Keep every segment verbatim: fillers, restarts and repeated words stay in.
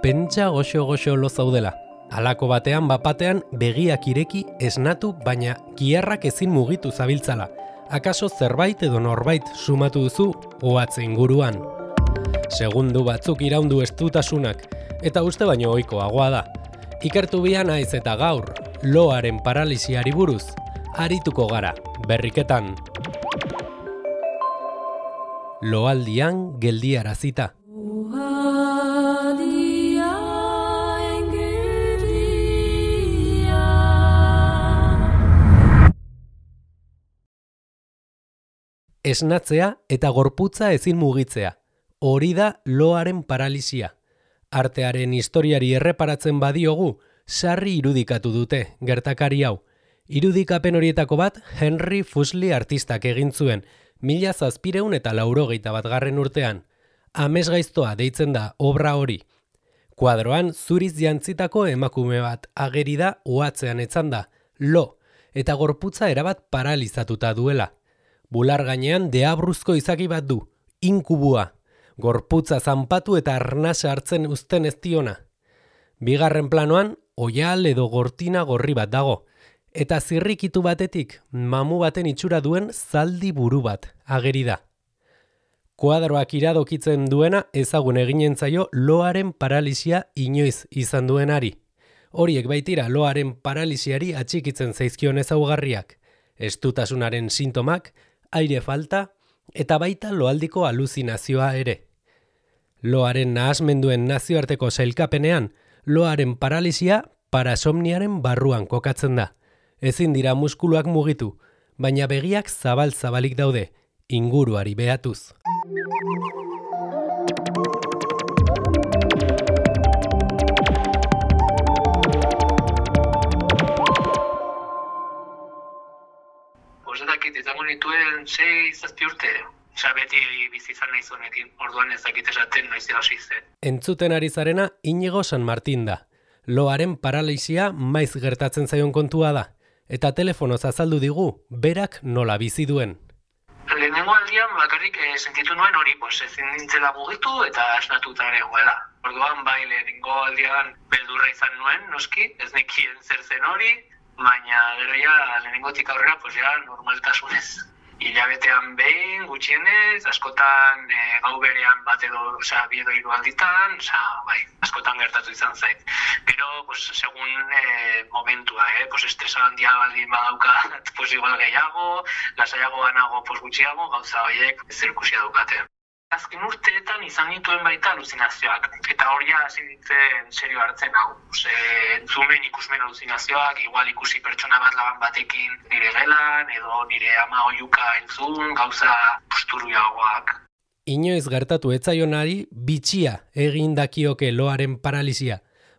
Pentsa goxo-goxo lo zaudela. Halako batean bapatean begiak ireki esnatu baina giharrak ezin mugitu zabiltzala. Akaso zerbait edo norbait sumatu duzu ohatze inguruan. Segundu batzuk iraundu estutasunak eta uste baino ohikoagoa da. Ikertu bia naiz eta gaur loaren paralisiari buruz arituko gara berriketan. Loaldian geldiarazita. Esnatzea eta gorputza ezin mugitzea. Hori da loaren paralisia. Artearen historiari erreparatzen badiogu, sarri irudikatu dute gertakari hau. Irudikapen horietako bat Henry Fuseli artistak egin zuen, mila zazpireun eta laurogeita bat garren urtean. Amesgaiztoa deitzen da obra hori. Kuadroan zuriz jantzitako emakume bat ageri da ohatzean etzanda, lo, eta gorputza erabat paralizatuta duela. Bular gainean deabruzko izaki bat du, inkubua, gorputza zanpatu eta arnasa hartzen uzten ez diona. Bigarren planoan, oial edo gortina gorri bat dago, eta zirrikitu batetik mamu baten itxura duen zaldi buru bat ageri da. Kuadroak iradokitzen duena ezagun eginen zaio loaren paralisia inoiz izan duenari. Horiek baitira loaren paralisiari atxikitzen zaizkion ezaugarriak, estutasunaren sintomak, aire falta eta baita loaldiko aluzinazioa ere. Loaren nahasmenduen nazioarteko sailkapenean, loaren paralisia parasomniaren barruan kokatzen da. Ezin dira muskuluak mugitu, baina begiak zabal-zabalik daude, inguruari behatuz. Ezakit, izango nituen sei zazpi urte. Osa beti bizi izan nahi zuenekin, orduan ezakit esaten noiz hasi zen. Entzuten ari zarena Inigo San Martin da. Loaren paralisia maiz gertatzen zaion kontua da, eta telefonoz azaldu digu berak nola bizi duen. Lehenengo aldian bakarrik eh, sentitu nuen hori, pues, ezin nintzela mugitu eta esnatuta ere goela. Orduan bai lehenengo aldian beldurra izan nuen, noski, ez nekien zer zen hori, baina gero ja lehenengotik aurrera pues ja normaltasunez. Hilabetean behin, gutxienez, askotan e, gau berean bat edo, osea, bi edo hiru alditan, osea, bai, askotan gertatu izan zait. Pero, pues, segun e, momentua, eh, pues, estresa handia baldin badaukat, pues, igual gehiago, lasaiago banago, pues, gutxiago, gauza horiek zerikusia daukate. Azken urteetan izan nituen baita aluzinazioak, eta hori hasi nintzen serio hartzen hau. Ose, entzumen ikusmen aluzinazioak, igual ikusi pertsona bat laban batekin nire gelan, edo nire ama oiuka entzun, gauza posturuagoak. Inoiz gertatu etzaionari bitxia egin dakioke loaren paralisia,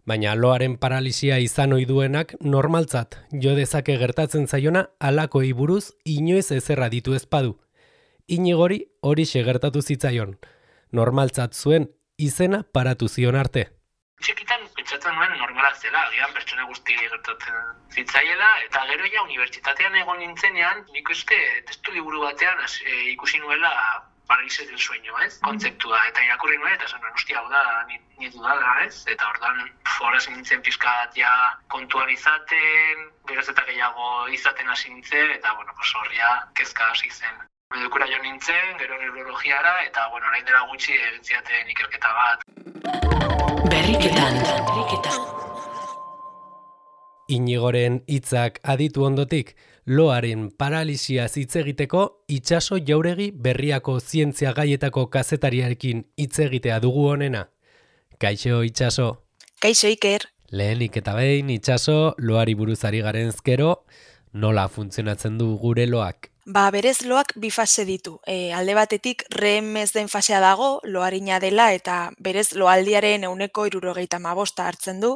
baina loaren paralisia izan ohi duenak normaltzat jo dezake gertatzen zaiona halakoi buruz inoiz ezerra ditu ezpadu. Inigori hori gertatu zitzaion. Normaltzat zuen izena paratu zion arte. Txikitan pentsatzen nuen normala zela, agian pertsona guzti gertatzen zitzaiela, eta gero ja unibertsitatean egon nintzenean, nik uste testu liburu batean az, e, ikusi nuela paralisia del sueño, ez? Kontzeptua, eta irakurri nuen, eta zen nuen, hostia, hau da, nietu dala, ez? Eta ordan foraz nintzen pizkat ja kontuan izaten, geroz eta gehiago izaten hasi nintzen, eta, bueno, pues horria kezka hasi zen. Medikura jo nintzen, gero neurologiara, eta, bueno, orain dela gutxi egin zidaten ikerketa bat. Berriketan, berriketan. Inigoren hitzak aditu ondotik, loaren paralisia hitz egiteko itsaso jauregi Berriako zientzia gaietako kazetariarekin hitz egitea dugu honena. Kaixo itsaso. Kaixo Iker. Lehenik eta behin itsaso loari buruz ari garenezkero, nola funtzionatzen du gure loak? Ba, berez loak bi fase ditu. E, alde batetik REM ez den fasea dago, loarina dela eta berez loaldiaren ehuneko hirurogeita hamabosta hartzen du,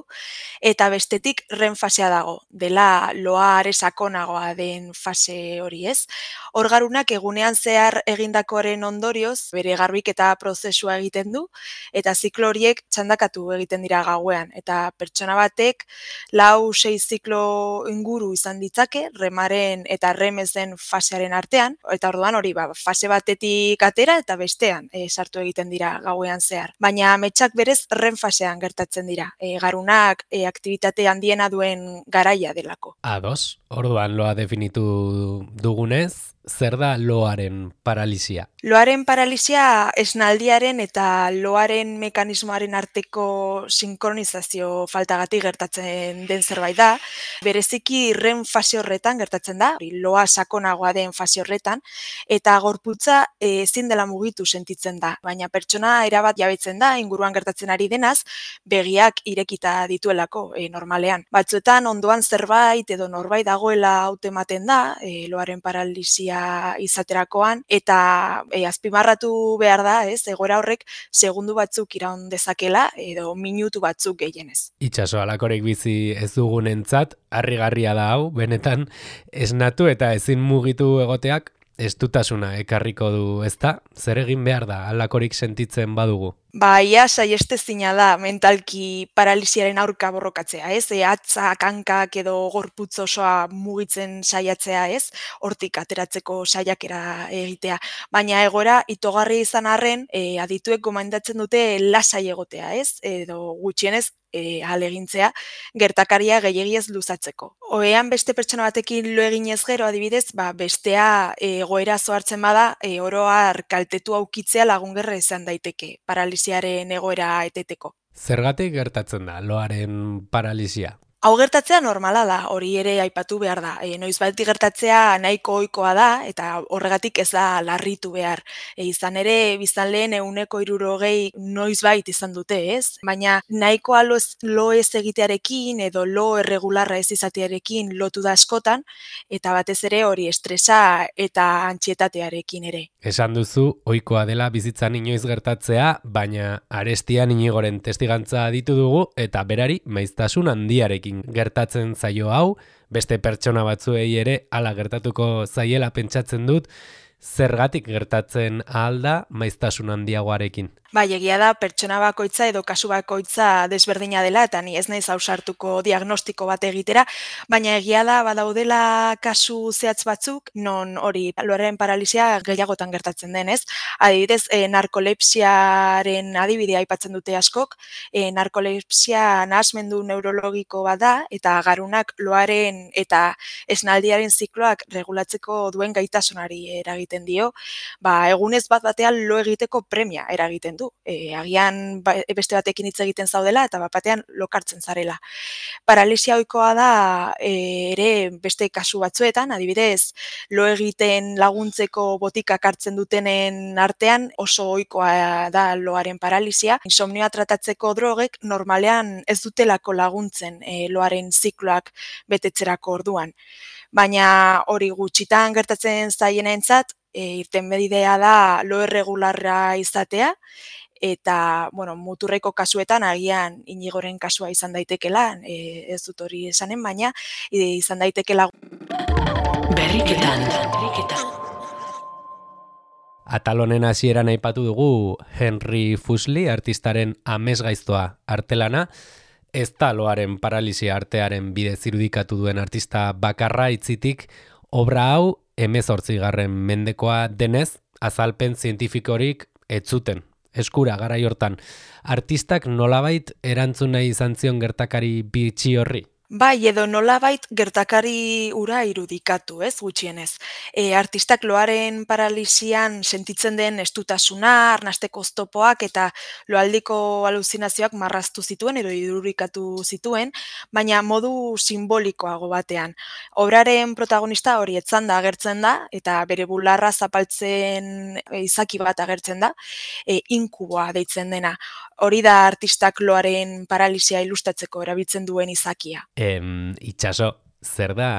eta bestetik REM fasea dago, dela loa are sakonagoa den fase hori, ez? Orgarunak egunean zehar egindakoaren ondorioz bere garbiketa prozesua egiten du eta ziklo horiek txandakatu egiten dira gauean eta pertsona batek lau sei ziklo inguru izan ditzake REMaren eta REM ez den fase fasearen artean, eta orduan hori ba, fase batetik atera eta bestean e, sartu egiten dira gauean zehar. Baina ametsak berez REM fasean gertatzen dira, e, garunak e, aktibitate handiena duen garaia delako. Ados, orduan loa definitu dugunez, zer da loaren paralisia? Loaren paralisia esnaldiaren eta loaren mekanismoaren arteko sinkronizazio faltagatik gertatzen den zerbait da. Bereziki REM fase horretan gertatzen da, loa sakonagoa den fase horretan, eta gorputza ezin dela mugitu sentitzen da. Baina pertsona erabat jabetzen da, inguruan gertatzen ari denaz, begiak irekita dituelako e, normalean. Batzuetan ondoan zerbait edo norbait dagoela hautematen da, e, loaren paralisia izaterakoan, eta e, azpimarratu behar da, ez, egoera horrek segundu batzuk iraun dezakela edo minutu batzuk gehienez. Itxaso halakorik bizi ez dugunentzat, harrigarria da hau, benetan esnatu eta ezin mugitu egoteak estutasuna ekarriko du, ezta? Zer egin behar da halakorik sentitzen badugu? Ba, ia saiestezina da mentalki paralisiaren aurka borrokatzea, ez? E, atzak, hankak edo gorputz osoa mugitzen saiatzea, ez? Hortik ateratzeko saiakera egitea. Baina egoera itogarri izan arren, e, adituek gomendatzen dute lasai egotea, ez? Edo gutxienez e, ahalegintzea gertakaria gehiegi ez luzatzeko. Ohean beste pertsona batekin lo eginez gero adibidez, ba, bestea e, egoera zohartzen bada, e, oro har kaltetu aukitzea lagungerra izan daiteke paralisiaren egoera eteteko. Zergatik gertatzen da loaren paralisia? Hau gertatzea normala da, hori ere aipatu behar da. E, noizbait gertatzea nahiko ohikoa da eta horregatik ez da larritu behar. E, izan ere biztanleen ehuneko hirurogei noizbait izan dute, ez? Baina nahikoa lo, lo ez egitearekin edo lo erregularra ez izatearekin lotu da askotan, eta batez ere hori estresa eta antsietatearekin ere. Esan duzu, ohikoa dela bizitzan inoiz gertatzea, baina Arestian Inigoren testigantza ditu dugu eta berari maiztasun handiarekin gertatzen zaio hau, beste pertsona batzuei ere hala gertatuko zaiela pentsatzen dut, zergatik gertatzen ahal da maiztasun handiagoarekin. Bai, egia da pertsona bakoitza edo kasu bakoitza desberdina dela eta ni ez naiz ausartuko diagnostiko bat egitera, baina egia da badaudela kasu zehatz batzuk non hori loaren paralisia gehiagotan gertatzen denez. Adibidez, e, narkolepsiaren adibidea aipatzen dute askok, e, narkolepsia nahasmendu neurologiko bat da eta garunak loaren eta esnaldiaren zikloak regulatzeko duen gaitasunari eragiten dio, ba, egunez bat batean lo egiteko premia eragiten du. E, agian ba, beste batekin hitz egiten zaudela eta bat batean lokartzen zarela. Paralisia ohikoa da e, ere beste kasu batzuetan, adibidez, lo egiten laguntzeko botikak hartzen dutenen artean oso ohikoa da loaren paralisia. Insomnioa tratatzeko drogek normalean ez dutelako laguntzen e, loaren zikloak betetzerako orduan. Baina hori gutxitan gertatzen zaienentzat, e, irtenbidea da lo erregularra izatea, eta bueno, muturreko kasuetan agian Inigoren kasua izan daitekela, e, ez dut hori esanen, baina e, izan daitekela. Berriketan, berriketan. Atal honen hasieran aipatu dugu Henry Fuseli, artistaren amesgaiztoa artelana, ez da loaren paralisia artearen bidez irudikatu duen artista bakarra itzitik, obra hau hemezortzigarren mendekoa denez, azalpen zientifikorik ez zuten. Eskura garai hortan, artistak nolabait erantzun nahi izan zion gertakari bitxi horri? Bai, edo nolabait gertakari ura irudikatu, ez, gutxienez. E, artistak loaren paralisian sentitzen den estutasuna, arnasteko oztopoak eta loaldiko aluzinazioak marraztu zituen edo irudikatu zituen, baina modu simbolikoago batean. Obraren protagonista hori etzanda agertzen da eta bere bularra zapaltzen e, izaki bat agertzen da, e, inkuboa deitzen dena. Hori da artistak loaren paralisia ilustratzeko erabiltzen duen izakia. Em, itxaso, zer da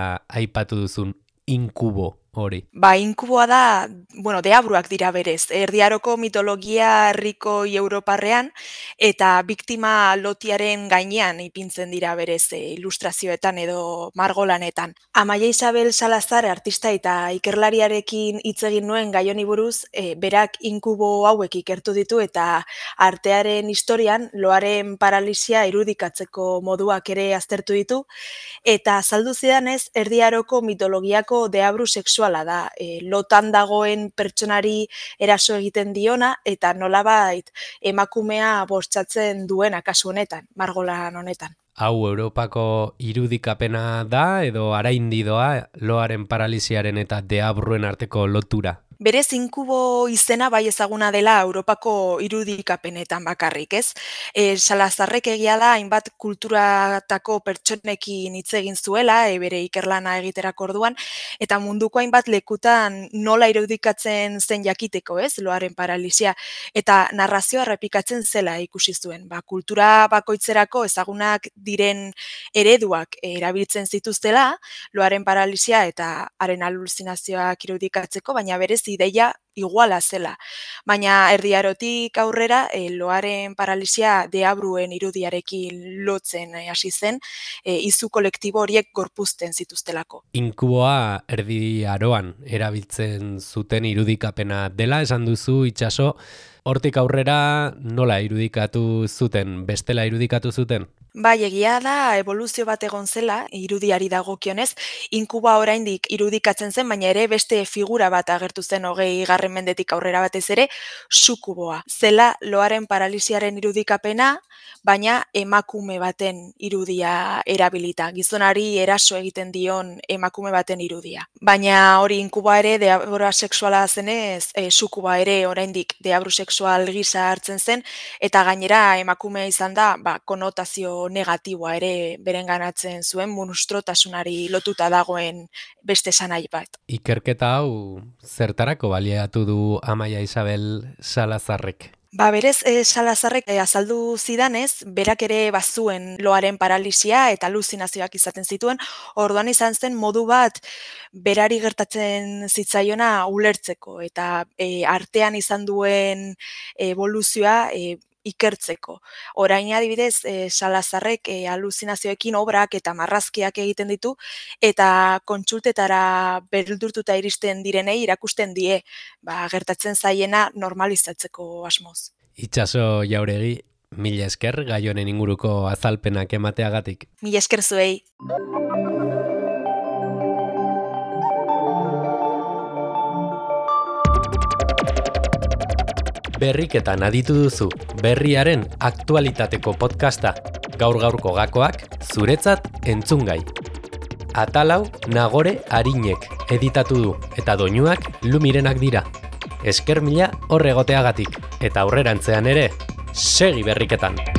aipatu duzun inkubo hori? Ba, inkuboa da, bueno, deabruak dira berez, Erdi Aroko mitologia herrikoi europarrean eta biktima lotiaren gainean ipintzen dira berez e, ilustrazioetan edo margolanetan. Amaia Isabel Salazar artista eta ikerlariarekin hitz egin nuen gai honi buruz, e, berak inkubo hauek ikertu ditu eta artearen historian loaren paralisia irudikatzeko moduak ere aztertu ditu eta azaldu zidanez Erdi Aroko mitologiako deabru sexual sexuala da, e, lotan dagoen pertsonari eraso egiten diona eta nolabait emakumea bortxatzen duena kasu honetan, margolan honetan. Hau Europako irudikapena da edo araindi doa loaren paralisiaren eta deabruen arteko lotura? Berez inkubo izena bai ezaguna dela Europako irudikapenetan bakarrik, ez? E, Salazarrek egia da hainbat kulturatako pertsonekin hitz egin zuela, e, bere ikerlana egiterako orduan, eta munduko hainbat lekutan nola irudikatzen zen jakiteko, ez? Loaren paralisia, eta narrazioa errepikatzen zela ikusi zuen. Ba, kultura bakoitzerako ezagunak diren ereduak erabiltzen zituztela, loaren paralisia eta haren aluzinazioak irudikatzeko, baina berez ideia iguala zela. Baina Erdi Arotik aurrera e, loaren paralisia deabruen irudiarekin lotzen e, hasi zen, e, izu kolektibo horiek gorpuzten zituztelako. Inkuboa Erdi Aroan erabiltzen zuten irudikapena dela, esan duzu itsaso, hortik aurrera nola irudikatu zuten, bestela irudikatu zuten? Bai, egia da eboluzio bat egon zela irudiari dagokionez, inkuba oraindik irudikatzen zen, baina ere beste figura bat agertu zen hogei garren mendetik aurrera batez ere, sukuboa. Zela loaren paralisiaren irudikapena, baina emakume baten irudia erabilita, gizonari eraso egiten dion emakume baten irudia. Baina hori inkuba ere deabru sexuala zenez, e, sukuba ere oraindik deabru sexual gisa hartzen zen, eta gainera emakumea izan da, ba, konotazio negatiboa ere berenganatzen zuen, monstruotasunari lotuta dagoen beste esanai bat. Ikerketa hau zertarako baliatu du Amaia Isabel Salazarrek? Ba, berez, e, Salazarrek e, azaldu zidanez, berak ere bazuen loaren paralisia eta aluzinazioak izaten zituen, orduan izan zen modu bat berari gertatzen zitzaiona ulertzeko, eta e, artean izan duen evoluzioa e, ikertzeko. Orain adibidez, e, Salazarrek e, aluzinazioekin obrak eta marrazkiak egiten ditu, eta kontsultetara beldurtuta iristen direnei irakusten die, ba, gertatzen zaiena normalizatzeko asmoz. Itsaso Jauregi, mila esker gai honen inguruko azalpenak emateagatik. Mila esker zuei. Berriketan aditu duzu, berriaren aktualitateko podcasta, gaur-gaurko gakoak zuretzat entzungai. Atalau Nagore Arinek editatu du eta doinuak Lumirenak dira. Esker mila horregoteagatik eta aurrerantzean ere, segi berriketan!